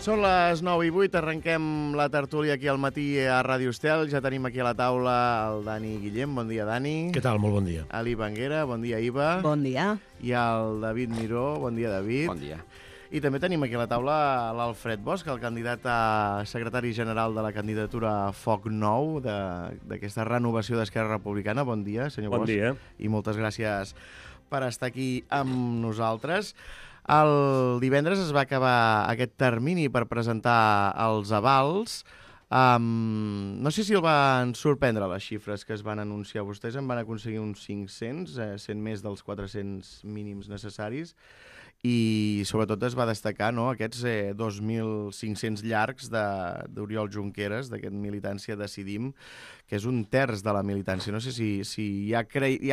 Són les 9:08, arrenquem la tertúlia aquí al matí a Ràdio Estel. Ja tenim aquí a la taula el Dani Guillem. Bon dia, Dani. Què tal? Molt bon dia. Ali Banguera. Bon dia, Iva. Bon dia. I el David Miró. Bon dia, David. Bon dia. I també tenim aquí a la taula l'Alfred Bosch, el candidat a secretari general de la candidatura Foc Nou, d'aquesta renovació d'Esquerra Republicana. Bon dia, senyor Bosch. Bon dia. I moltes gràcies per estar aquí amb nosaltres. El divendres es va acabar aquest termini per presentar els avals. No sé si el van sorprendre les xifres que es van anunciar. Vostès en van aconseguir uns 500, 100 més dels 400 mínims necessaris. I sobretot es va destacar aquests 2.500 llargs d'Oriol Junqueras, d'aquest Militància Decidim, que és un terç de la militància. No sé si ja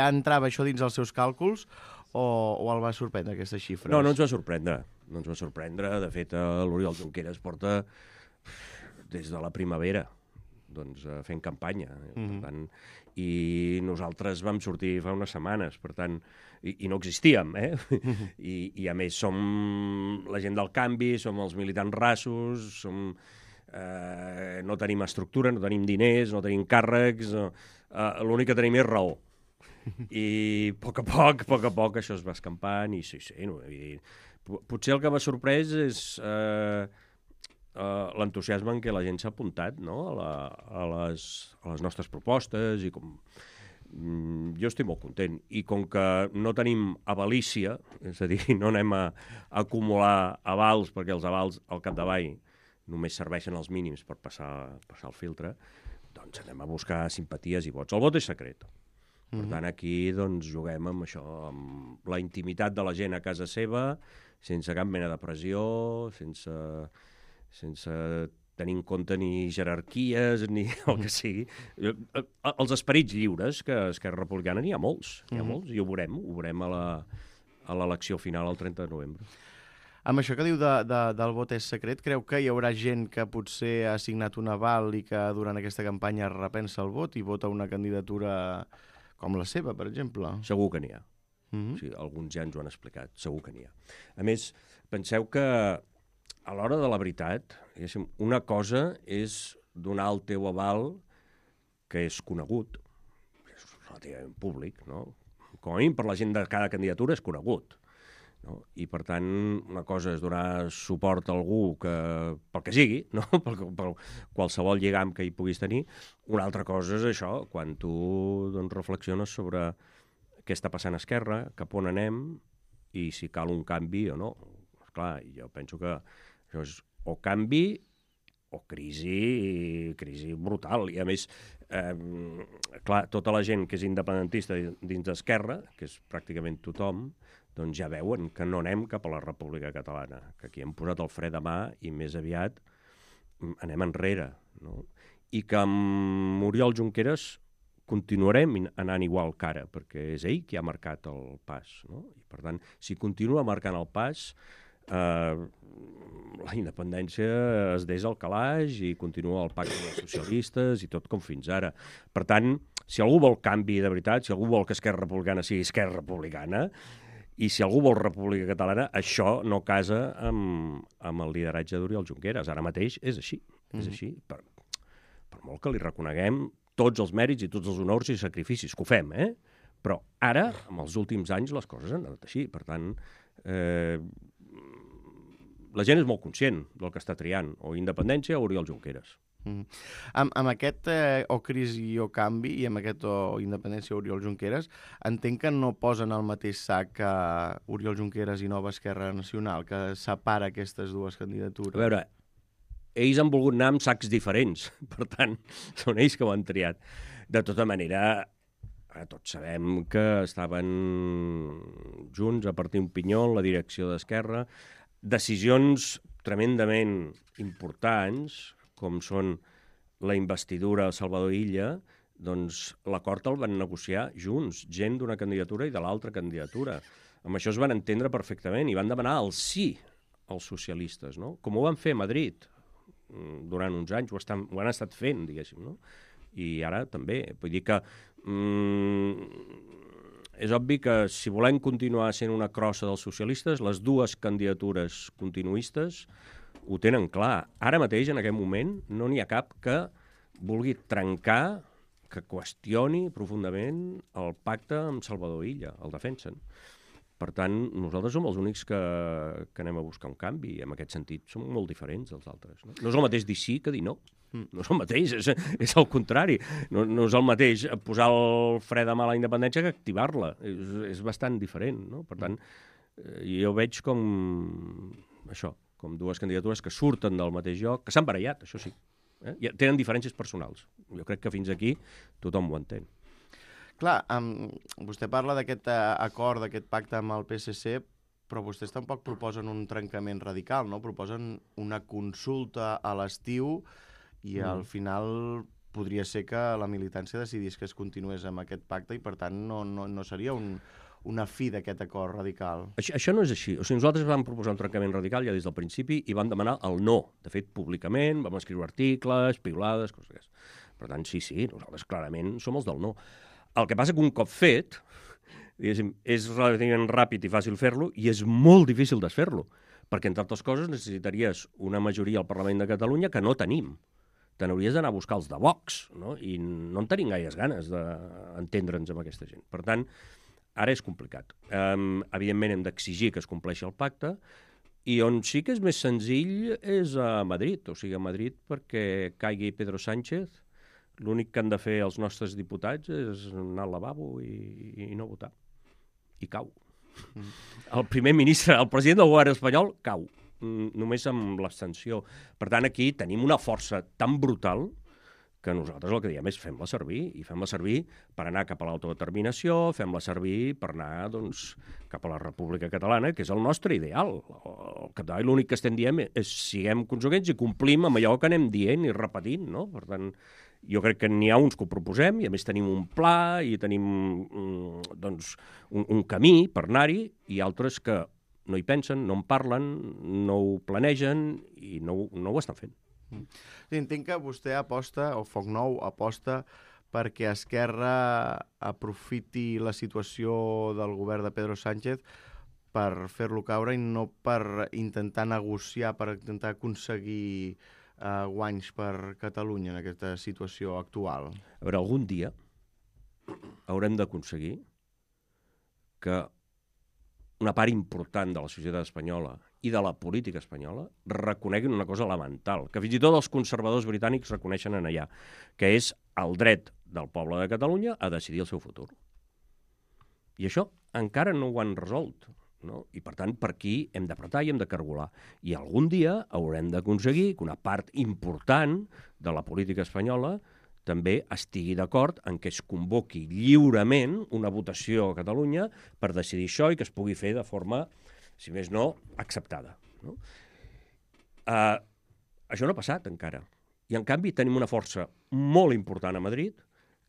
entrava això dins els seus càlculs o el va sorprendre, aquestes xifres? No ens va sorprendre. No ens va sorprendre. De fet, l'Oriol Junqueras porta des de la primavera fent campanya. Per tant, i nosaltres vam sortir fa unes setmanes, per tant, i no existíem, I a més som la gent del canvi, som els militants rassos, no tenim estructura, no tenim diners, no tenim càrrecs, l'únic que tenim és raó. I a poc a poc això es va escampant i sí, potser el que m'ha sorprès és l'entusiasme en què la gent s'ha apuntat a les nostres propostes i com jo estic molt content i com que no tenim avalícia, és a dir, no anem a acumular avals perquè els avals al capdavall només serveixen els mínims per passar el filtre, doncs anem a buscar simpaties i vots. El vot és secret. Per tant, aquí juguem amb això, amb la intimitat de la gent a casa seva, sense cap mena de pressió, sense tenir en compte ni jerarquies, ni el que sigui. Els esperits lliures, que a Esquerra Republicana n'hi ha molts, i ho veurem a l'elecció final el 30 de novembre. Amb això que diu del vot és secret, creu que hi haurà gent que potser ha signat un aval i que durant aquesta campanya repensa el vot i vota una candidatura com la seva, per exemple? Segur que n'hi ha. Sí, alguns ja ens ho han explicat, segur que n'hi ha. A més, penseu que a l'hora de la veritat, una cosa és donar el teu aval que és conegut, és relativament públic, no? Com a mínim per la gent de cada candidatura és conegut. No? I, per tant, una cosa és donar suport a algú pel que sigui, no? per qualsevol lligam que hi puguis tenir. Una altra cosa és això, quan tu reflexiones sobre què està passant a Esquerra, cap on anem i si cal un canvi o no. Esclar, jo penso que això és o canvi o crisi brutal. I, a més, clar, tota la gent que és independentista dins d'Esquerra, que és pràcticament tothom, doncs ja veuen que no anem cap a la República Catalana, que aquí hem posat el fre de mà i més aviat anem enrere, no? I que amb Oriol Junqueras continuarem anant igual que ara, perquè és ell qui ha marcat el pas, no? I, per tant, si continua marcant el pas, la independència es desa al calaix i continua el pacte dels socialistes i tot com fins ara. Per tant, si algú vol canvi de veritat, si algú vol que Esquerra Republicana sigui Esquerra Republicana, i si algú vol República Catalana, això no casa amb el lideratge d'Oriol Junqueras. Ara mateix és així. És així. Per molt que li reconeguem tots els mèrits i tots els honors i sacrificis, que ho fem, Però ara, en els últims anys, les coses han anat així. Per tant, la gent és molt conscient del que està triant, o independència o Oriol Junqueras. Amb aquest o crisi o canvi i amb aquest o independència Oriol Junqueras, entenc que no posen al mateix sac que Oriol Junqueras i Nova Esquerra Nacional, que separa aquestes dues candidatures. A veure, ells han volgut anar amb sacs diferents, per tant, són ells que ho han triat. De tota manera, tots sabem que estaven junts a partir un pinyó en la direcció d'Esquerra. Decisions tremendament importants, com són la investidura a Salvador Illa, doncs l'acord el van negociar junts, gent d'una candidatura i de l'altra candidatura. Amb això es van entendre perfectament i van demanar el sí als socialistes, no? Com ho van fer a Madrid durant uns anys, ho han estat fent, diguéssim, no? I ara també. Vull dir que és obvi que si volem continuar sent una crossa dels socialistes, les dues candidatures continuistes ho tenen clar. Ara mateix, en aquest moment, no n'hi ha cap que vulgui trencar, que qüestioni profundament el pacte amb Salvador Illa, el defensen. Per tant, nosaltres som els únics que anem a buscar un canvi, i en aquest sentit som molt diferents dels altres. No és el mateix dir sí que dir no. No és el mateix, és el contrari. No és el mateix posar el fre de mà a la independència que activar-la. És bastant diferent, no? Per tant, jo veig com això, com dues candidatures que surten del mateix lloc, que s'han barallat, això sí. Tenen diferències personals. Jo crec que fins aquí tothom ho entén. Clar, vostè parla d'aquest acord, d'aquest pacte amb el PSC, però vostès tampoc proposen un trencament radical, no? Proposen una consulta a l'estiu i al final podria ser que la militància decidís que es continués amb aquest pacte i, per tant, no seria una fi d'aquest acord radical. Això no és així. O sigui, nosaltres vam proposar un trencament radical ja des del principi i vam demanar el no. De fet, públicament, vam escriure articles, piulades, coses d'aquestes. Per tant, sí, nosaltres clarament som els del no. El que passa que un cop fet, diguéssim, és relativament ràpid i fàcil fer-lo i és molt difícil desfer-lo, perquè, entre altres coses, necessitaries una majoria al Parlament de Catalunya que no tenim. Te n'hauries d'anar a buscar els de Vox, no? I no en tenim gaires ganes d'entendre'ns amb aquesta gent. Per tant, ara és complicat. Evidentment, hem d'exigir que es compleixi el pacte i on sí que és més senzill és a Madrid. O sigui, a Madrid perquè caigui Pedro Sánchez, l'únic que han de fer els nostres diputats és anar al lavabo i no votar. I cau. El primer ministre, el president del govern espanyol, cau. Només amb l'abstenció. Per tant, aquí tenim una força tan brutal que nosaltres el que diem és fem-la servir, i fem-la servir per anar cap a l'autodeterminació, fem-la servir per anar cap a la República Catalana, que és el nostre ideal. Al capdavall l'únic que estem dient és siguem conseqüents i complim amb allò que anem dient i repetint, no? Per tant, jo crec que n'hi ha uns que ho proposem i a més tenim un pla i tenim un camí per anar-hi i altres que no hi pensen, no en parlen, no ho planegen i no ho estan fent. Entenc que vostè aposta, o Foc Nou aposta, perquè Esquerra aprofiti la situació del govern de Pedro Sánchez per fer-lo caure i no per intentar negociar, per intentar aconseguir guanys per Catalunya en aquesta situació actual. A veure, algun dia haurem d'aconseguir que una part important de la societat espanyola i de la política espanyola reconeguin una cosa elemental, que fins i tot els conservadors britànics reconeixen en allà, que és el dret del poble de Catalunya a decidir el seu futur. I això encara no ho han resolt, no? I, per tant, per aquí hem d'apretar i hem de cargolar. I algun dia haurem d'aconseguir que una part important de la política espanyola també estigui d'acord en que es convoqui lliurement una votació a Catalunya per decidir això i que es pugui fer de forma, si més no, acceptada. No? Això no ha passat encara. I, en canvi, tenim una força molt important a Madrid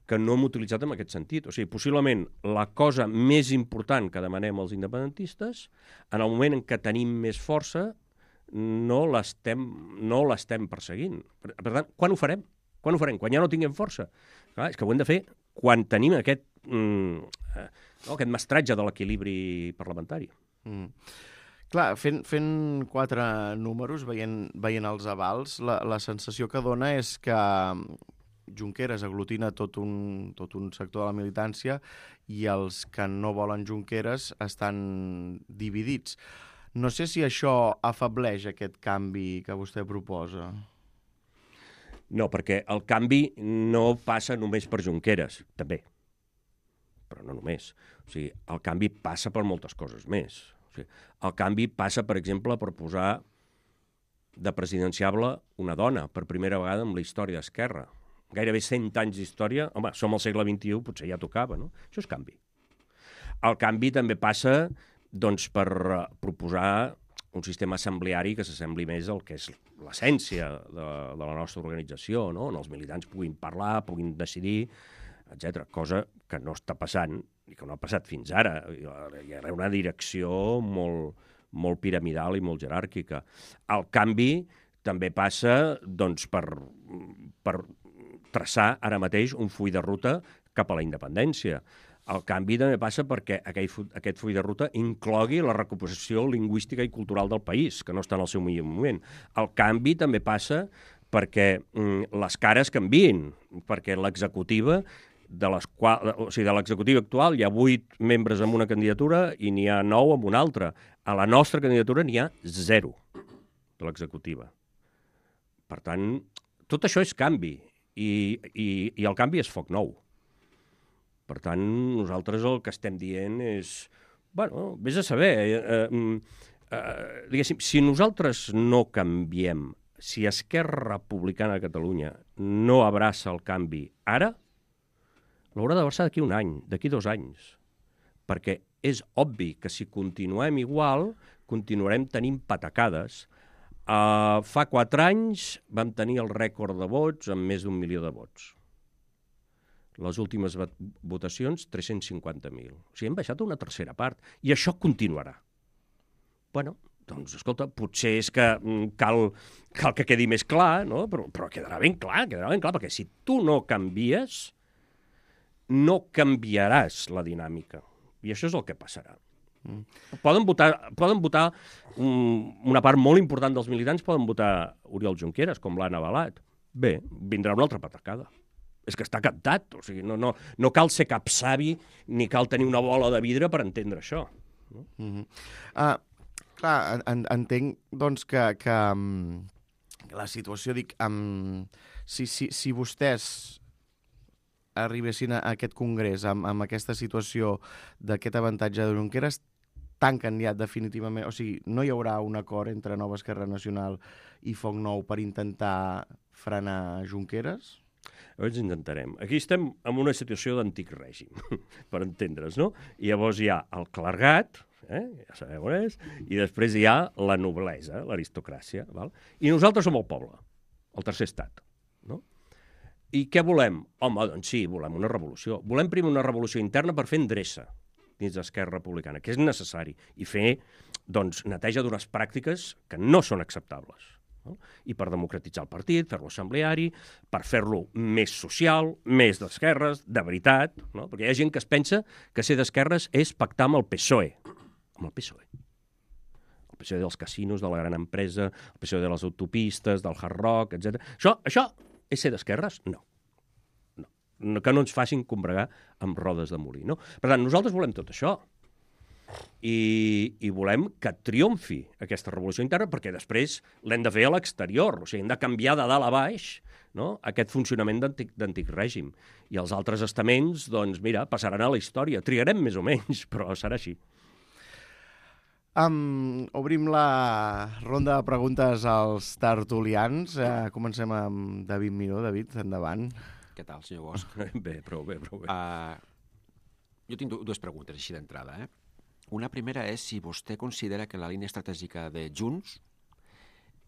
que no hem utilitzat en aquest sentit. O sigui, possiblement la cosa més important que demanem als independentistes, en el moment en què tenim més força, no l'estem perseguint. Per tant, quan ho farem? Quan ho farem? Quan ja no tinguem força. Clar, és que ho hem de fer quan tenim aquest mestratge de l'equilibri parlamentari. Clar, fent 4 números, veient els avals, la sensació que dona és que Junqueras aglutina tot un sector de la militància i els que no volen Junqueras estan dividits. No sé si això afableix aquest canvi que vostè proposa. No, perquè el canvi no passa només per Junqueras, també, però no només. O sigui, el canvi passa per moltes coses més. O sigui, el canvi passa, per exemple, per posar de presidenciable una dona, per primera vegada en la història d'Esquerra. Gairebé 100 anys d'història, home, som al segle XXI, potser ja tocava, no? Això és canvi. El canvi també passa, doncs, per proposar un sistema assembleari que s'assembli més al que és l'essència de la nostra organització, no? On els militants puguin parlar, puguin decidir, etc. Cosa que no està passant i que no ha passat fins ara. Hi ha una direcció molt piramidal i molt jeràrquica. El canvi també passa, doncs, per traçar ara mateix un full de ruta cap a la independència. El canvi també passa perquè aquest full de ruta inclogui la recuperació lingüística i cultural del país, que no està en el seu millor moment. El canvi també passa perquè les cares canvien, perquè l'executiva, de l'executiva actual hi ha 8 membres amb una candidatura i n'hi ha 9 amb una altra. A la nostra candidatura n'hi ha 0 de l'executiva. Per tant, tot això és canvi i el canvi és foc nou. Per tant, nosaltres el que estem dient és, bueno, vés a saber, diguéssim, si nosaltres no canviem, si Esquerra Republicana de Catalunya no abraça el canvi ara, l'haurà d'abraçar d'aquí un any, d'aquí 2 anys, perquè és obvi que si continuem igual, continuarem tenint patacades. Fa 4 anys vam tenir el rècord de vots amb més d'1 milió de vots. Les últimes votacions, 350.000. O sigui, hem baixat una tercera part. I això continuarà. Bueno, doncs, escolta, potser és que cal que quedi més clar, no? Però quedarà ben clar, perquè si tu no canvies, no canviaràs la dinàmica. I això és el que passarà. Poden votar una part molt important dels militants, poden votar Oriol Junqueras, com l'han avalat. Bé, vindrà una altra patacada. És que està captat, o sigui, no cal ser cap savi ni cal tenir una bola de vidre per entendre això. No? Clar, entenc doncs, que la situació, dic, si vostès arribessin a aquest congrés amb aquesta situació d'aquest avantatge de Junqueras, tanquen ja definitivament, o sigui, no hi haurà un acord entre Nova Esquerra Nacional i Foc Nou per intentar frenar Junqueras? Llavors intentarem. Aquí estem en una situació d'antic règim, per entendre's, no? I llavors hi ha el clergat, ja sabeu on és, i després hi ha la noblesa, l'aristocràcia, val? I nosaltres som el poble, el tercer estat, no? I què volem? Home, doncs sí, volem una revolució. Volem primer una revolució interna per fer endreça dins d'Esquerra Republicana, que és necessari, i fer, doncs, neteja d'unes pràctiques que no són acceptables. No? I per democratitzar el partit, fer-lo assembleari, per fer-lo més social, més d'esquerres, de veritat, no? Perquè hi ha gent que es pensa que ser d'esquerres és pactar amb el PSOE. Amb el PSOE. El PSOE dels casinos, de la gran empresa, el PSOE de les autopistes, del Hard Rock, etc. Això és ser d'esquerres? No. Que no ens facin combregar amb rodes de molí. No? Per tant, nosaltres volem tot això. I volem que triomfi aquesta revolució interna perquè després l'hem de fer a l'exterior, o sigui, hem de canviar de dalt a baix, no? Aquest funcionament d'antic règim. I els altres estaments, doncs mira, passaran a la història. Trigarem més o menys, però serà així. Obrim la ronda de preguntes als tertulians. Comencem amb David Miró. David, endavant. Què tal, senyor Bosch? Bé, prou bé. Jo tinc 2 preguntes així d'entrada, Una primera és si vostè considera que la línia estratègica de Junts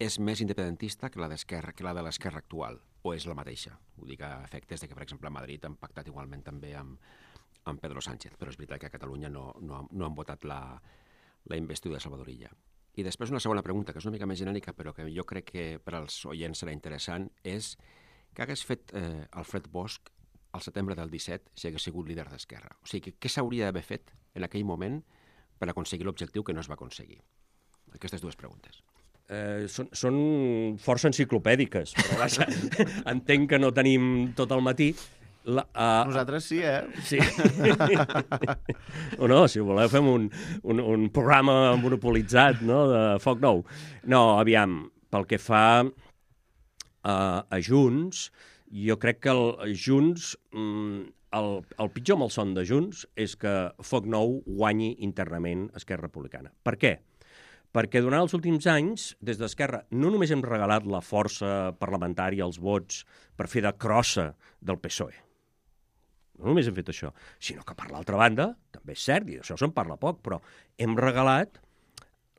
és més independentista que la de l'esquerra actual, o és la mateixa? Ho dic a efectes de que, per exemple, a Madrid han pactat igualment també amb Pedro Sánchez, però és veritat que a Catalunya no han votat la investidura de Salvador Illa. I després una segona pregunta, que és una mica més genèrica, però que jo crec que per als oients serà interessant, és què hagués fet Alfred Bosch al setembre del 17 si hagués sigut líder d'Esquerra? O sigui, què s'hauria d'haver fet en aquell moment per aconseguir l'objectiu que no es va aconseguir? Aquestes 2 preguntes. Són força enciclopèdiques, però vaja, entenc que no tenim tot el matí. Nosaltres sí, Sí. O no, si voleu fem un programa monopolitzat, no?, de Foc Nou. No, aviam, pel que fa a Junts, jo crec que Junts... El pitjor malson de Junts és que Foc Nou guanyi internament Esquerra Republicana. Per què? Perquè durant els últims anys, des d'Esquerra, no només hem regalat la força parlamentària, els vots, per fer de crossa del PSOE. No només hem fet això, sinó que per l'altra banda, també és cert, i d'això se'n parla poc, però hem regalat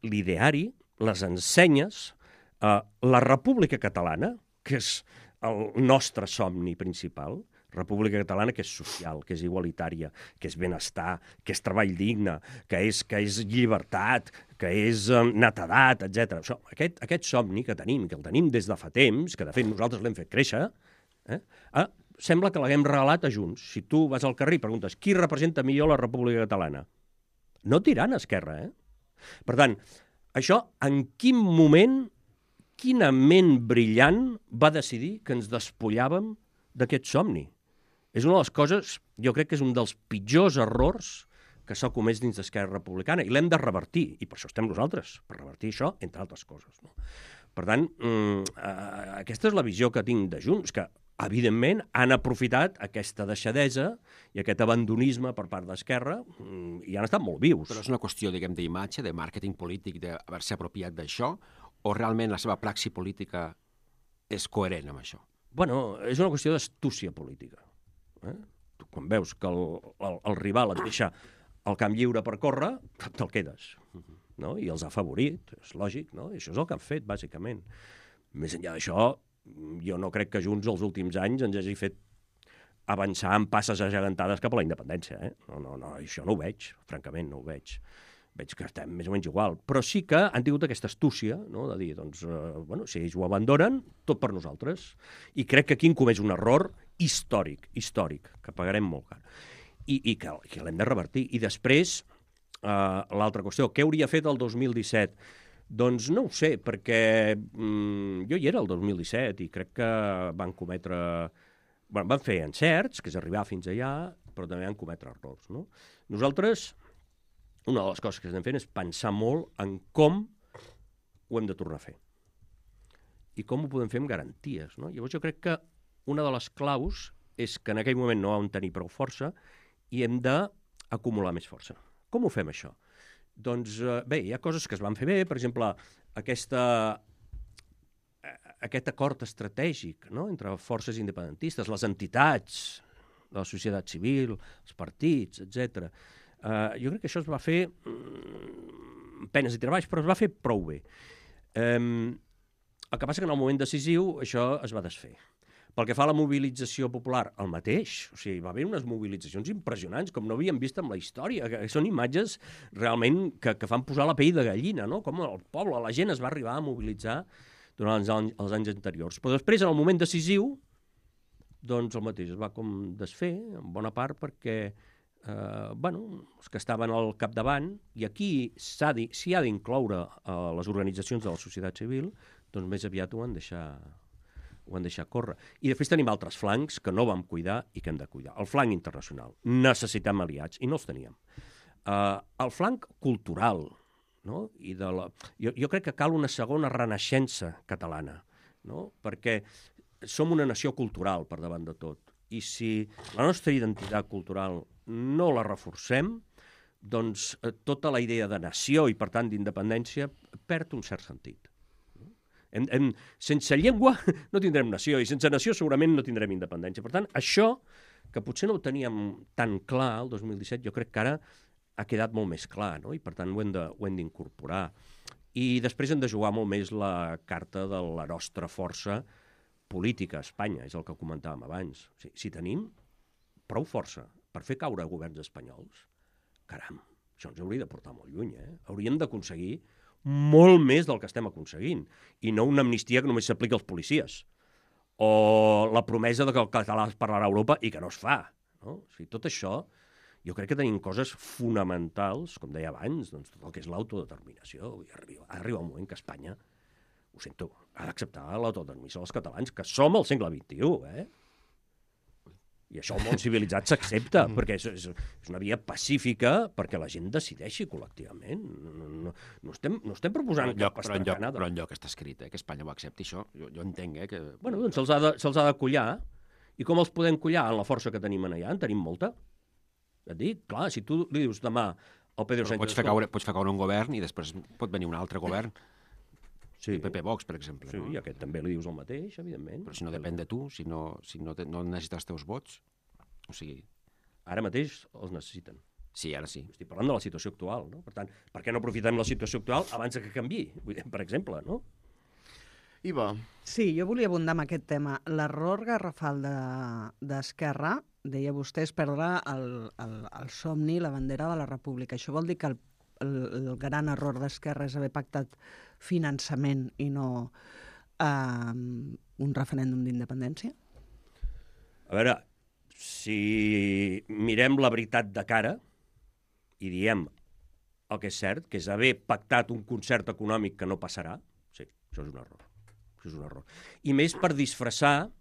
l'ideari, les ensenyes, la República Catalana, que és el nostre somni principal, República Catalana que és social, que és igualitària, que és benestar, que és treball digne, que és llibertat, que és netedat, etc. Aquest somni que tenim, que el tenim des de fa temps, que de fet nosaltres l'hem fet créixer, sembla que l'haguem regalat a Junts. Si tu vas al carrer i preguntes qui representa millor la República Catalana, no et diran Esquerra, Per tant, això en quin moment, quina ment brillant va decidir que ens despullàvem d'aquest somni? És una de les coses, jo crec que és un dels pitjors errors que s'ha comès dins d'Esquerra Republicana, i l'hem de revertir, i per això estem nosaltres, per revertir això, entre altres coses. No? Per tant, aquesta és la visió que tinc de Junts, que evidentment han aprofitat aquesta deixadesa i aquest abandonisme per part d'Esquerra i han estat molt vius. Però és una qüestió, diguem, d'imatge, de màrqueting polític, d'haver-se apropiat d'això, o realment la seva praxi política és coherent amb això? Bueno, és una qüestió d'astúcia política. Tu, quan veus que el rival et deixa el camp lliure per córrer, te'l quedes. No? I els ha favorit, és lògic, no? I això és el que han fet, bàsicament. Més enllà d'això, jo no crec que Junts els últims anys ens hagi fet avançar en passes agegantades cap a la independència. No, això no ho veig, francament, no ho veig. Veig que estem més o menys igual. Però sí que han tingut aquesta astúcia, no? De dir, doncs, si ells ho abandonen, tot per nosaltres. I crec que aquí han comès un error històric, que pagarem molt car. I que l'hem de revertir. I després, l'altra qüestió, què hauria fet el 2017? Doncs no ho sé, perquè jo hi era el 2017 i crec que van cometre... Bueno, van fer encerts, que és arribar fins allà, però també van cometre errors. No? Nosaltres, una de les coses que estem fent és pensar molt en com ho hem de tornar a fer. I com ho podem fer amb garanties. No? Llavors jo crec que una de les claus és que en aquell moment no vam tenir prou força i hem d'acumular més força. Com ho fem, això? Doncs bé, hi ha coses que es van fer bé, per exemple, aquest acord estratègic, no?, entre forces independentistes, les entitats de la societat civil, els partits, etc. Jo crec que això es va fer amb penes i treballs, però es va fer prou bé. El que passa que en el moment decisiu això es va desfer. Pel que fa a la mobilització popular, el mateix. O sigui, va haver unes mobilitzacions impressionants, com no havíem vist en la història, que són imatges realment que fan posar la pell de gallina, no? Com el poble, la gent es va arribar a mobilitzar durant els anys anteriors. Però després, en el moment decisiu, doncs el mateix es va com desfer, en bona part, perquè els que estaven al capdavant, i aquí s'hi ha d'incloure les organitzacions de la societat civil, doncs més aviat ho han deixat córrer. I després tenim altres flancs que no vam cuidar i que hem de cuidar. El flanc internacional. Necessitem aliats, i no els teníem. El flanc cultural, no? Jo crec que cal una segona renaixença catalana, no? Perquè som una nació cultural per davant de tot. I si la nostra identitat cultural no la reforcem, doncs tota la idea de nació i, per tant, d'independència perd un cert sentit. Sense llengua no tindrem nació, i sense nació segurament no tindrem independència. Per tant, això, que potser no ho teníem tan clar el 2017, jo crec que ara ha quedat molt més clar, no? I per tant ho hem d'incorporar. I després hem de jugar molt més la carta de la nostra força política a Espanya, és el que comentàvem abans. O sigui, si tenim prou força per fer caure governs espanyols, caram, això ens hauria de portar molt lluny, Hauríem d'aconseguir molt més del que estem aconseguint, i no una amnistia que només s'aplica als policies, o la promesa de que el català es parlarà a Europa i que no es fa. No? O sigui, tot això, jo crec que tenim coses fonamentals, com deia abans, doncs tot el que és l'autodeterminació. Ha arribat un moment que Espanya, ho sento, ha d'acceptar l'autodeterminació dels catalans, que som al segle XXI, I això el món civilitzat s'accepta, perquè és una via pacífica perquè la gent decideixi col·lectivament. No estem proposant cap estracanada. Però enlloc està escrit, que Espanya ho accepti, això. Jo entenc, que... Bueno, doncs se'ls ha de collar. I com els podem collar? En la força que tenim allà, en tenim molta. Et dic, clar, si tu li dius demà al Pedro Sánchez... Pots fer caure un govern i després pot venir un altre govern. Sí. El PP Vox, per exemple. Sí, i aquest també li dius el mateix, evidentment. Però si no depèn de tu, si no necessites els teus vots, o sigui... Ara mateix els necessiten. Sí, ara sí. Estic parlant de la situació actual, no? Per tant, per què no aprofitem la situació actual abans que canviï, per exemple, no? Iva. Sí, jo volia abundar amb aquest tema. L'error garrafal d'Esquerra, deia vostè, és perdre el somni, la bandera de la República. Això vol dir que el gran error d'Esquerra és haver pactat finançament i no un referèndum d'independència? A veure, si mirem la veritat de cara i diem el que és cert, que és haver pactat un concert econòmic que no passarà, sí, això és un error. Això és un error. I més per disfressar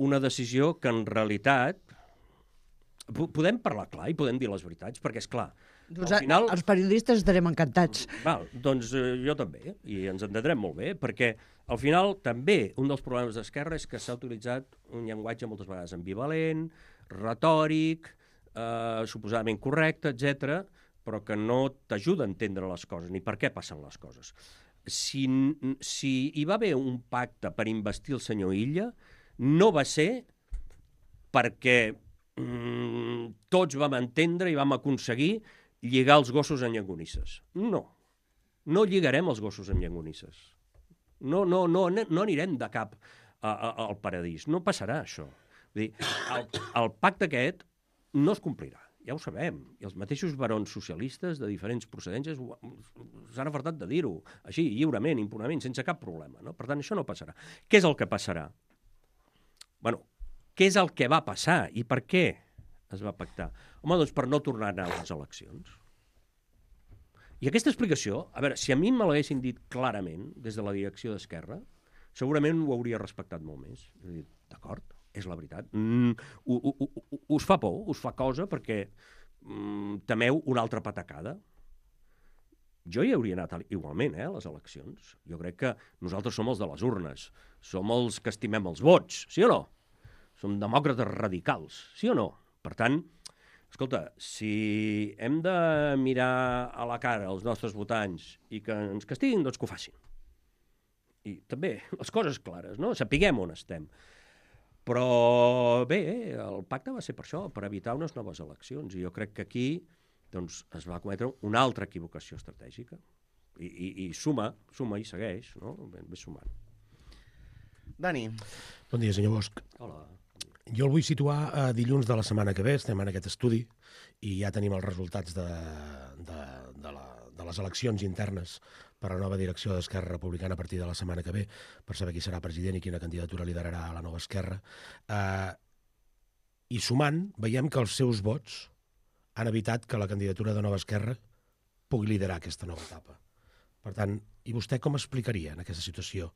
una decisió que en realitat podem parlar clar i podem dir les veritats, perquè és clar, al final... Els periodistes estarem encantats. Val, doncs jo també, i ens entendrem molt bé, perquè al final també un dels problemes d'Esquerra és que s'ha utilitzat un llenguatge moltes vegades ambivalent, retòric, suposadament correcte, etc, però que no t'ajuda a entendre les coses, ni per què passen les coses. Si hi va haver un pacte per investir el senyor Illa, no va ser perquè tots vam entendre i vam aconseguir lligar els gossos en llonganisses. No. No lligarem els gossos en llonganisses. No anirem de cap al paradís. No passarà això. Vull dir, el pacte aquest no es complirà. Ja ho sabem. I els mateixos barons socialistes de diferents procedències s'han afartat de dir-ho. Així, lliurement, impunament, sense cap problema. No? Per tant, això no passarà. Què és el que passarà? Bueno, què és el que va passar i per què es va pactar? Home, doncs per no tornar a anar a les eleccions. I aquesta explicació, a veure, si a mi me l'haguessin dit clarament des de la direcció d'Esquerra, segurament ho hauria respectat molt més. He dit, d'acord, és la veritat. Us fa por, us fa cosa perquè temeu una altra patacada. Jo hi hauria anat igualment, a les eleccions. Jo crec que nosaltres som els de les urnes, som els que estimem els vots, sí o no? Som demòcrates radicals, sí o no? Per tant, escolta, si hem de mirar a la cara els nostres votants i que ens castiguin, doncs que ho facin. I també les coses clares, no? Sapiguem on estem. Però bé, el pacte va ser per això, per evitar unes noves eleccions. I jo crec que aquí doncs, es va cometre una altra equivocació estratègica. I suma i segueix, no? Ve sumant. Dani. Bon dia, senyor Bosch. Hola. Jo el vull situar a dilluns de la setmana que ve, estem en aquest estudi, i ja tenim els resultats de les eleccions internes per a la nova direcció d'Esquerra Republicana a partir de la setmana que ve, per saber qui serà president i quina candidatura liderarà la nova Esquerra. I sumant, veiem que els seus vots han evitat que la candidatura de Nova Esquerra pugui liderar aquesta nova etapa. Per tant, i vostè com explicaria en aquesta situació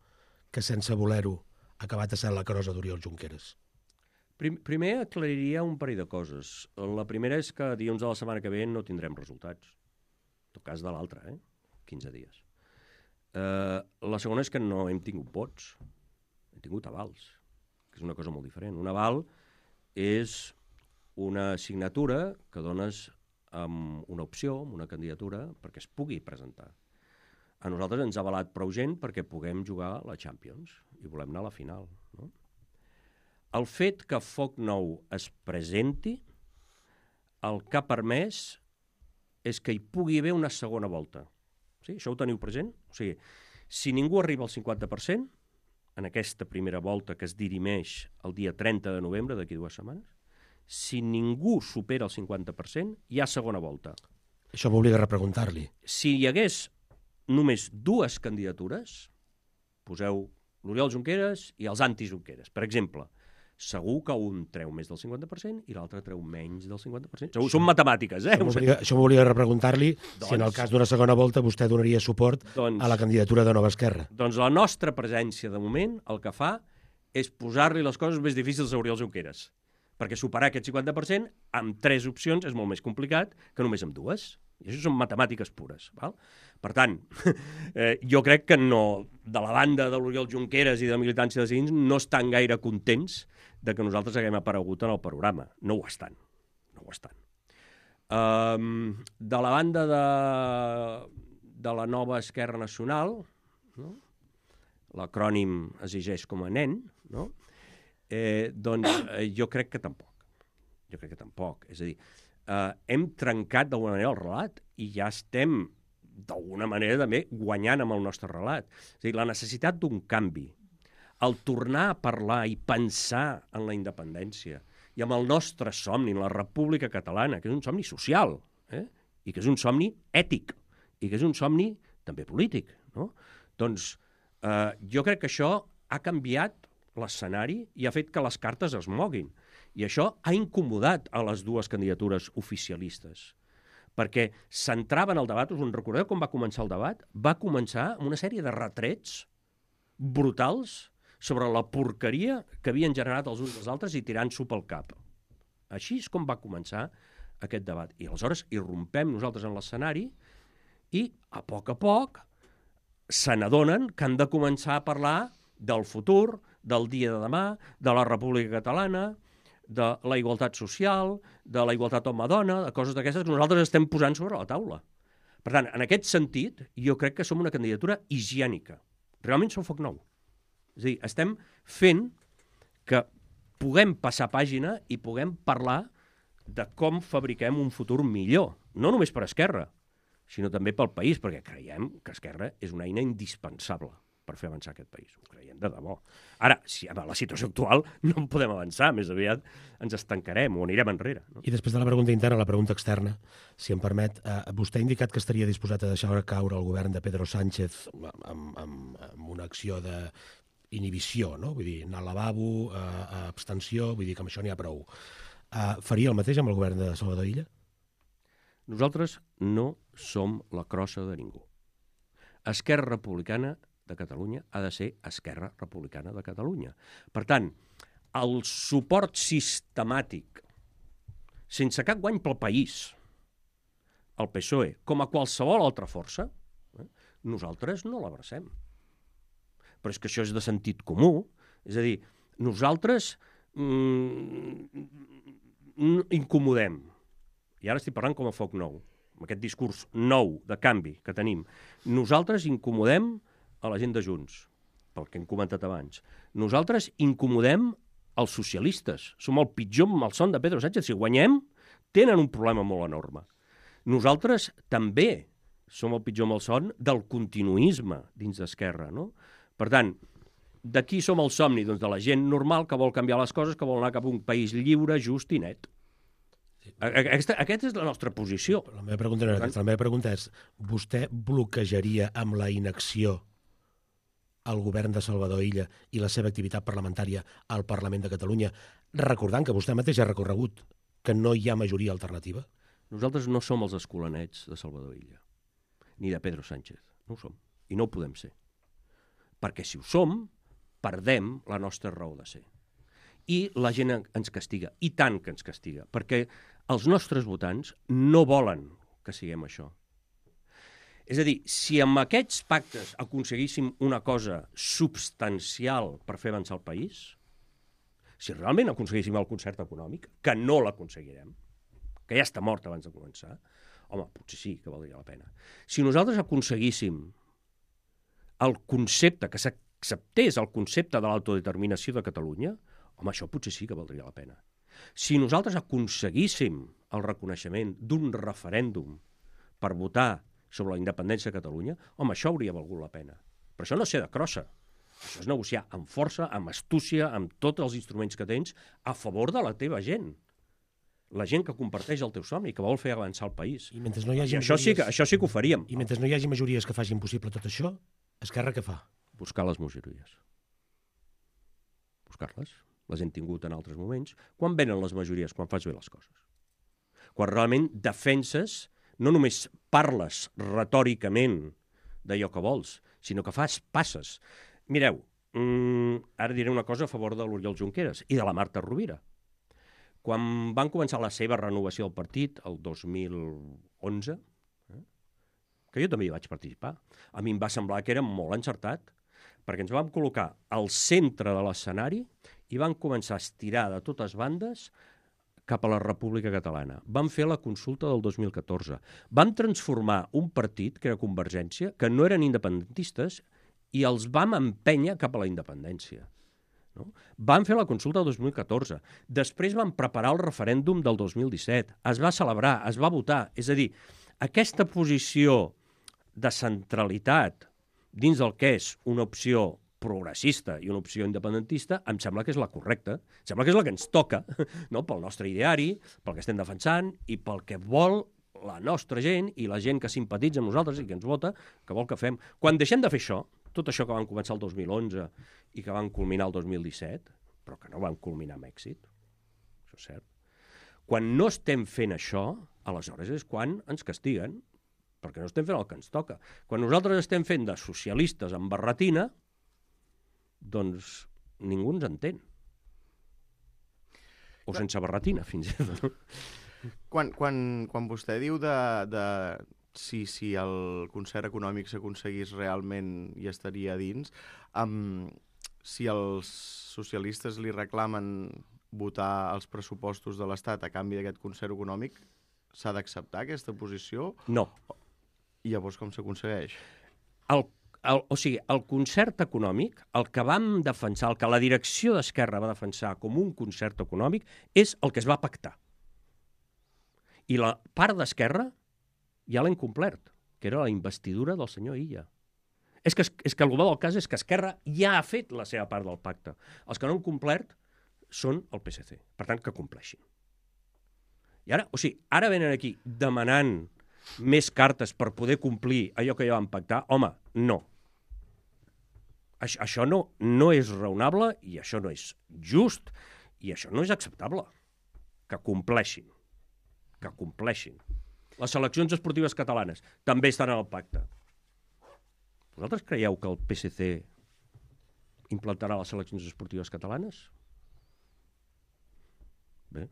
que sense voler-ho ha acabat essent la crosa d'Oriol Junqueras? Primer aclariria un parell de coses. La primera és que dilluns de la setmana que ve no tindrem resultats. En tot cas de l'altra, 15 dies. La segona és que no hem tingut vots, hem tingut avals, que és una cosa molt diferent. Un aval és una signatura que dones amb una opció, amb una candidatura, perquè es pugui presentar. A nosaltres ens ha avalat prou gent perquè puguem jugar a la Champions i volem anar a la final, no? El fet que Foc Nou es presenti, el que ha permès és que hi pugui haver una segona volta. Sí? Això ho teniu present? O sigui, si ningú arriba al 50%, en aquesta primera volta que es dirimeix el dia 30 de novembre, d'aquí 2 setmanes, si ningú supera el 50%, hi ha segona volta. Això m'obliga a repreguntar-li. Si hi hagués només 2 candidatures, poseu l'Oriol Junqueras i els anti-Junqueras. Per exemple, segur que un treu més del 50% i l'altre treu menys del 50%. Segur, són matemàtiques, Això m'obliga a repreguntar-li si en el cas d'una segona volta vostè donaria suport a la candidatura de Nova Esquerra. Doncs la nostra presència, de moment, el que fa és posar-li les coses més difícils a Oriol Junqueras. Perquè superar aquest 50% amb 3 opcions és molt més complicat que només amb 2. I això són matemàtiques pures. Val? Per tant, jo crec que no, de la banda de l'Oriol Junqueras i de la militància de Ciutadans no estan gaire contents de que nosaltres haguem aparegut en el panorama. No ho estan. No ho estan. De la banda de la nova Esquerra Nacional, no? L'acrònim es llegeix com a nen, no? Doncs jo crec que tampoc. Jo crec que tampoc. És a dir, hem trencat d'alguna manera el relat i ja estem d'alguna manera també guanyant amb el nostre relat. És a dir, la necessitat d'un canvi, el tornar a parlar i pensar en la independència i amb el nostre somni, en la República Catalana, que és un somni social, i que és un somni ètic, i que és un somni també polític, no? Doncs jo crec que això ha canviat l'escenari i ha fet que les cartes es moguin. I això ha incomodat a les dues candidatures oficialistes, perquè s'entrava en el debat. Us en recordeu com va començar el debat? Va començar amb una sèrie de retrets brutals sobre la porqueria que havien generat els uns dels altres i tirant-s'ho pel cap. Així és com va començar aquest debat. I aleshores irrompem nosaltres en l'escenari i, a poc, se n'adonen que han de començar a parlar del futur, del dia de demà, de la República Catalana, de la igualtat social, de la igualtat home-dona, de coses d'aquestes que nosaltres estem posant sobre la taula. Per tant, en aquest sentit, jo crec que som una candidatura higiènica. Realment som foc nou. És a dir, estem fent que puguem passar pàgina i puguem parlar de com fabriquem un futur millor, no només per Esquerra, sinó també pel país, perquè creiem que Esquerra és una eina indispensable per fer avançar aquest país. Ho creiem de debò. Ara, si a la situació actual no podem avançar, més aviat ens estancarem o anirem enrere. No? I després de la pregunta interna, la pregunta externa, si em permet, vostè ha indicat que estaria disposat a deixar caure el govern de Pedro Sánchez amb una acció d'inhibició, no? Vull dir, anar al lavabo, abstenció, vull dir que amb això n'hi ha prou. Faria el mateix amb el govern de Salvador Illa? Nosaltres no som la crossa de ningú. Esquerra Republicana de Catalunya ha de ser Esquerra Republicana de Catalunya. Per tant, el suport sistemàtic, sense cap guany pel país, al PSOE, com a qualsevol altra força, nosaltres no l'abracem. Però és que això és de sentit comú. És a dir, nosaltres incomodem. I ara estic parlant com a foc nou, amb aquest discurs nou de canvi que tenim. Nosaltres incomodem a la gent de Junts, pel que hem comentat abans. Nosaltres incomodem els socialistes. Som el pitjor malson de Pedro Sánchez. Si guanyem, tenen un problema molt enorme. Nosaltres també som el pitjor malson del continuisme dins d'Esquerra, no? Per tant, de qui som el somni? Doncs de la gent normal que vol canviar les coses, que vol anar cap a un país lliure, just i net. Aquesta és la nostra posició. La meva pregunta no era aquesta. La meva pregunta és, vostè bloquejaria amb la inacció el govern de Salvador Illa i la seva activitat parlamentària al Parlament de Catalunya, recordant que vostè mateix ha recorregut que no hi ha majoria alternativa? Nosaltres no som els escolanets de Salvador Illa, ni de Pedro Sánchez. No ho som. I no ho podem ser. Perquè si ho som, perdem la nostra raó de ser. I la gent ens castiga, i tant que ens castiga, perquè els nostres votants no volen que siguem això. És a dir, si amb aquests pactes aconseguíssim una cosa substancial per fer avançar el país, si realment aconseguíssim el concert econòmic, que no l'aconseguirem, que ja està mort abans de començar, home, potser sí que valdria la pena. Si nosaltres aconseguíssim el concepte, que s'acceptés el concepte de l'autodeterminació de Catalunya, home, això potser sí que valdria la pena. Si nosaltres aconseguíssim el reconeixement d'un referèndum per votar sobre la independència de Catalunya, home, això hauria valgut la pena. Però això no és ser de crossa. Això és negociar amb força, amb astúcia, amb tots els instruments que tens, a favor de la teva gent. La gent que comparteix el teu somni, que vol fer avançar el país. I mentre no hi hagi això sí que ho faríem. I mentre no hi hagi majories que facin possible tot això, Esquerra què fa? Buscar les majories. Buscar-les. Les hem tingut en altres moments. Quan venen les majories? Quan fas bé les coses. Quan realment defenses, no només parles retòricament d'allò que vols, sinó que passes. Mireu, ara diré una cosa a favor de l'Oriol Junqueras i de la Marta Rovira. Quan van començar la seva renovació del partit, el 2011, que jo també hi vaig participar, a mi em va semblar que era molt encertat, perquè ens vam col·locar al centre de l'escenari i van començar a estirar de totes bandes cap a la República Catalana. Van fer la consulta del 2014. Van transformar un partit, que era Convergència, que no eren independentistes, i els vam empènyer cap a la independència. No? Van fer la consulta del 2014. Després van preparar el referèndum del 2017. Es va celebrar, es va votar. És a dir, aquesta posició de centralitat dins del que és una opció progressista i una opció independentista, em sembla que és la correcta. Em sembla que és la que ens toca, no? Pel nostre ideari, pel que estem defensant i pel que vol la nostra gent i la gent que simpatitza amb nosaltres i que ens vota, que vol que fem. Quan deixem de fer això, tot això que van començar el 2011 i que van culminar el 2017, però que no van culminar amb èxit, això és cert. Quan no estem fent això, aleshores és quan ens castiguen, perquè no estem fent el que ens toca. Quan nosaltres estem fent de socialistes amb barretina, doncs ningú ens entén. O sense barretina, fins i tot. Quan vostè diu si el concert econòmic s'aconseguís realment i estaria dins, si els socialistes li reclamen votar els pressupostos de l'Estat a canvi d'aquest concert econòmic, s'ha d'acceptar aquesta posició? No. I llavors com s'aconsegueix? O sigui, el concert econòmic, el que vam defensar, el que la direcció d'Esquerra va defensar com un concert econòmic, és el que es va pactar. I la part d'Esquerra ja l'ha incomplert, que era la investidura del senyor Illa. És que el global del cas és que Esquerra ja ha fet la seva part del pacte. Els que no han complert són el PSC. Per tant, que compleixin. I ara, ara venen aquí demanant més cartes per poder complir allò que ja vam pactar. Home, no. Això no és raonable i això no és just i això no és acceptable. Que compleixin. Que compleixin. Les seleccions esportives catalanes també estan en el pacte. Vosaltres creieu que el PSC implantarà les seleccions esportives catalanes? Bé,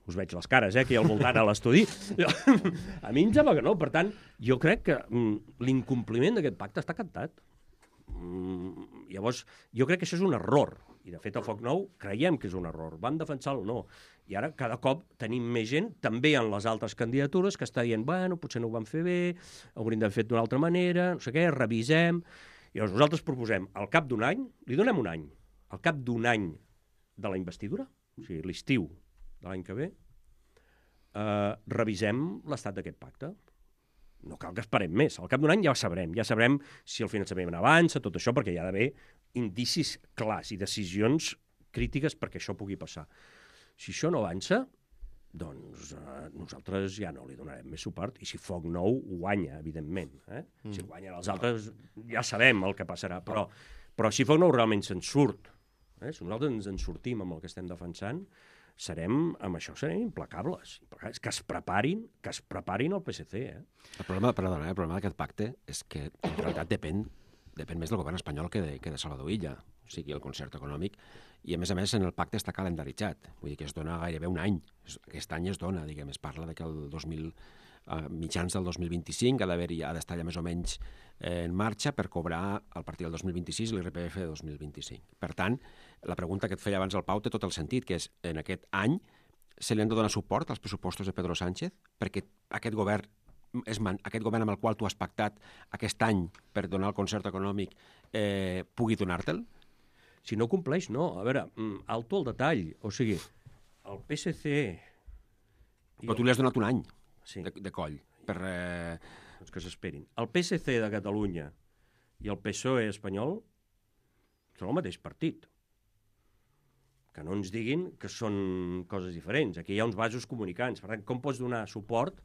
us veig les cares, aquí al voltant a l'estudi. A mi em sembla que no. Per tant, jo crec que l'incompliment d'aquest pacte està cantat. Llavors, jo crec que això és un error. I, de fet, a Foc Nou creiem que és un error. Vam defensar el no. I ara, cada cop, tenim més gent, també en les altres candidatures, que està dient, bueno, potser no ho vam fer bé, hauríem d'haver fet d'una altra manera, no sé què, revisem. I llavors nosaltres proposem, al cap d'un any, li donem un any, al cap d'un any de la investidura, o sigui, l'estiu de l'any que ve, revisem l'estat d'aquest pacte. No cal que esperem més. Al cap d'un any ja sabrem si el finançament avança, tot això, perquè hi ha d'haver indicis clars i decisions crítiques perquè això pugui passar. Si això no avança, doncs nosaltres ja no li donarem més suport, i si Foc Nou guanya, evidentment. Si guanyen els altres, ja sabem el que passarà, però si Foc Nou realment se'n surt, si nosaltres ens en sortim amb el que estem defensant, amb això serem implacables. Que es preparin el PSC. El problema d'aquest pacte és que en realitat depèn més del govern espanyol que de Salvador Illa, o sigui, el concert econòmic, i a més en el pacte està calendaritzat, vull dir que es dona gairebé un any. Aquest any es dona, diguem, es parla que mitjans del 2025 ha d'estar ja més o menys en marxa per cobrar a partir del 2026 l'IRPF de 2025. Per tant, la pregunta que et feia abans el Pau té tot el sentit, que és, en aquest any se li han de donar suport als pressupostos de Pedro Sánchez perquè aquest govern amb el qual tu has pactat aquest any per donar el concert econòmic pugui donar-te'l? Si no compleix, no. A veure, alto el detall. O sigui, el PSC... Però tu li has donat un any de coll. Doncs que s'esperin. El PSC de Catalunya i el PSOE espanyol són el mateix partit. Que no ens diguin que són coses diferents. Aquí hi ha uns vasos comunicants. Per tant, com pots donar suport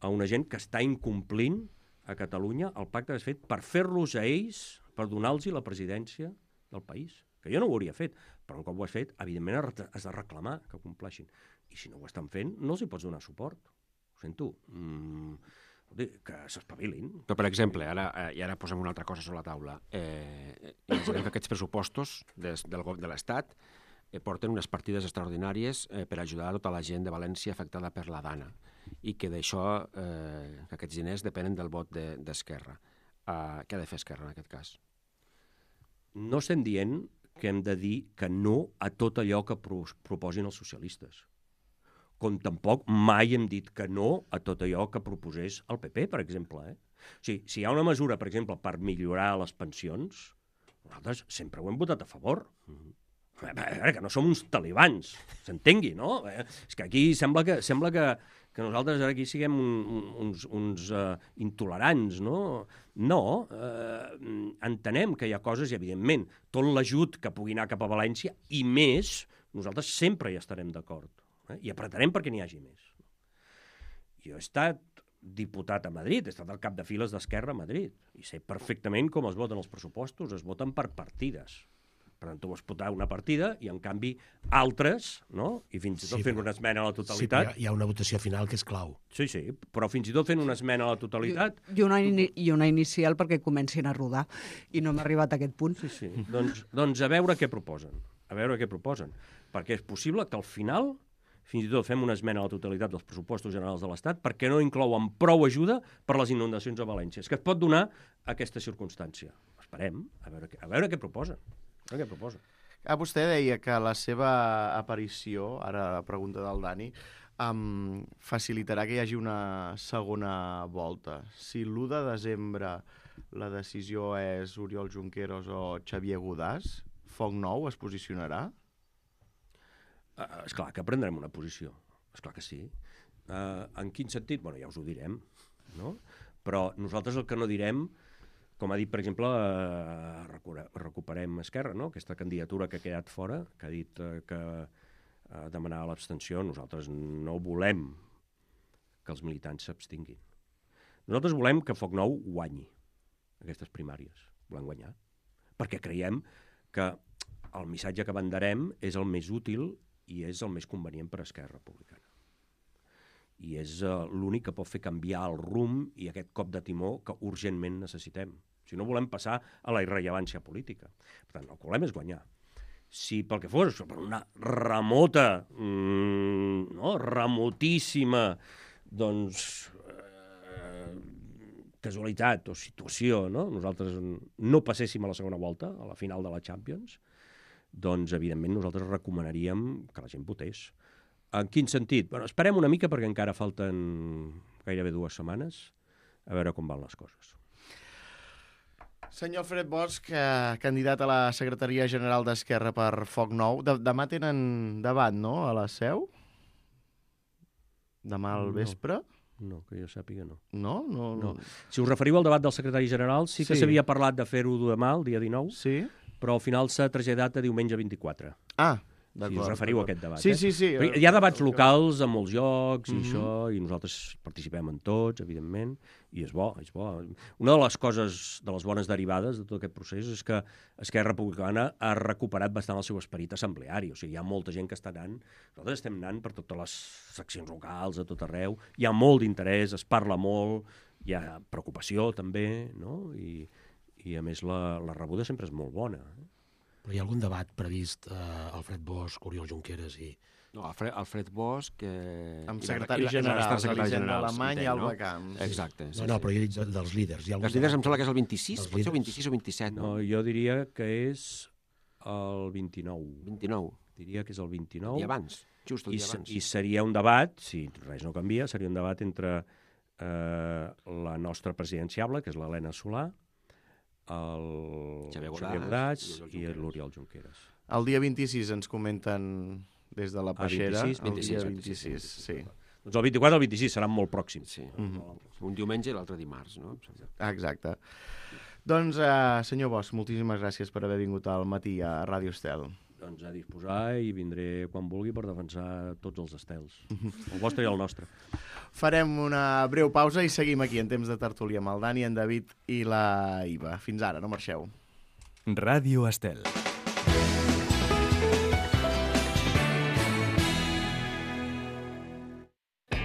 a una gent que està incomplint a Catalunya el pacte que has fet per fer-los a ells, per donar-los la presidència del país? Que jo no ho hauria fet, però un cop ho has fet, evidentment has de reclamar que ho compleixin. I si no ho estan fent, no els hi pots donar suport. Ho sento. Que s'espavilin. Però, per exemple, ara posem una altra cosa sobre la taula. Imaginem que aquests pressupostos de l'Estat porten unes partides extraordinàries per ajudar a tota la gent de València afectada per la Dana i que d'això, que aquests diners depenen del vot d'Esquerra. Què ha de fer Esquerra en aquest cas? No estem dient que hem de dir que no a tot allò que proposin els socialistes. Com tampoc mai hem dit que no a tot allò que proposés el PP, per exemple. O sigui, si hi ha una mesura, per exemple, per millorar les pensions, nosaltres sempre ho hem votat a favor. A veure, que no som uns talibans, s'entengui, no? És que aquí sembla que nosaltres ara aquí siguem uns intolerants, no? No, entenem que hi ha coses, i evidentment, tot l'ajut que pugui anar cap a València, i més, nosaltres sempre hi estarem d'acord. I apretarem perquè n'hi hagi més. Jo he estat diputat a Madrid, he estat al cap de files d'Esquerra a Madrid, i sé perfectament com es voten els pressupostos, es voten per partides. Per tant, tu vols votar una partida i, en canvi, altres, no? I fins i tot fent una esmena a la totalitat... Sí, hi ha una votació final que és clau. Sí, però fins i tot fent una esmena a la totalitat... I una inicial perquè comencin a rodar, i no hem arribat a aquest punt. Sí. Doncs a veure què proposen. Perquè és possible que al final fins i tot fem una esmena a la totalitat dels pressupostos generals de l'Estat perquè no inclouen prou ajuda per les inundacions a València. És que es pot donar aquesta circumstància. Esperem, a veure què proposen. Vostè deia que la seva aparició, ara la pregunta del Dani, facilitarà que hi hagi una segona volta. Si l'1 de desembre la decisió és Oriol Junqueras o Xavier Godàs, Foc Nou es posicionarà? Esclar que prendrem una posició, esclar que sí. En quin sentit? Bueno, ja us ho direm, no? Però nosaltres el que no direm, com ha dit, per exemple, recuperem Esquerra, no? Aquesta candidatura que ha quedat fora, que ha dit que demanava l'abstenció, nosaltres no volem que els militants s'abstinguin. Nosaltres volem que Foc Nou guanyi aquestes primàries, volem guanyar, perquè creiem que el missatge que venderem és el més útil i és el més convenient per a Esquerra Republicana. I és l'únic que pot fer canviar el rumb i aquest cop de timó que urgentment necessitem. Si no volem passar a la irrellevància política. Per tant, el que volem és guanyar. Si pel que fos, per una remota, remotíssima, doncs, casualitat o situació, no? Nosaltres no passéssim a la segona volta, a la final de la Champions, doncs, evidentment, nosaltres recomanaríem que la gent votés. En quin sentit? Bueno, esperem una mica perquè encara falten gairebé 2 setmanes a veure com van les coses. Senyor Alfred Bosch, candidat a la Secretaria General d'Esquerra per Foc Nou. Demà tenen debat, no?, a la Seu? Demà al vespre? No, que jo sàpiga, no. No. Si us referiu al debat del secretari general, sí que s'havia parlat de fer-ho demà, el dia 19, sí, però al final s'ha traslladat a diumenge 24. Si us referiu a aquest debat. Sí. Hi ha debats locals en molts llocs i això, i nosaltres participem en tots, evidentment, i és bo. Una de les coses, de les bones derivades de tot aquest procés és que Esquerra Republicana ha recuperat bastant el seu esperit assembleari. O sigui, hi ha molta gent que està anant. Nosaltres estem anant per totes les seccions locals, a tot arreu. Hi ha molt d'interès, es parla molt, hi ha preocupació també, no? I a més la rebuda sempre és molt bona. Però hi ha algun debat previst, Alfred Bosch, Oriol Junqueras i... No, Alfred Bosch... Amb secretari general, Elisenda Alemany i Alba Camps. Exacte. No, però jo he dit dels líders. Els líders em sembla que és el 26, pot ser el 26 o 27, no? No, jo diria que és el 29. 29. Diria que és el 29. I abans, just el dia abans. I seria un debat, si res no canvia, seria un debat entre la nostra presidenciable, que és l'Helena Solà, el Xavier Godàs i l'Oriol Junqueras. El dia 26 ens comenten des de la Peixera. 26, sí. Doncs el 24 i el 26 seran molt pròxims. Sí. Un diumenge i l'altre dimarts, no? Exacte. Doncs, senyor Bosch, moltíssimes gràcies per haver vingut al matí a Ràdio Estel. Doncs a disposar i vindré quan vulgui per defensar tots els estels, el vostre i el nostre. Farem una breu pausa i seguim aquí en temps de tertúlia amb el Dani, en David i la Iva. Fins ara, no marxeu. Ràdio Estel.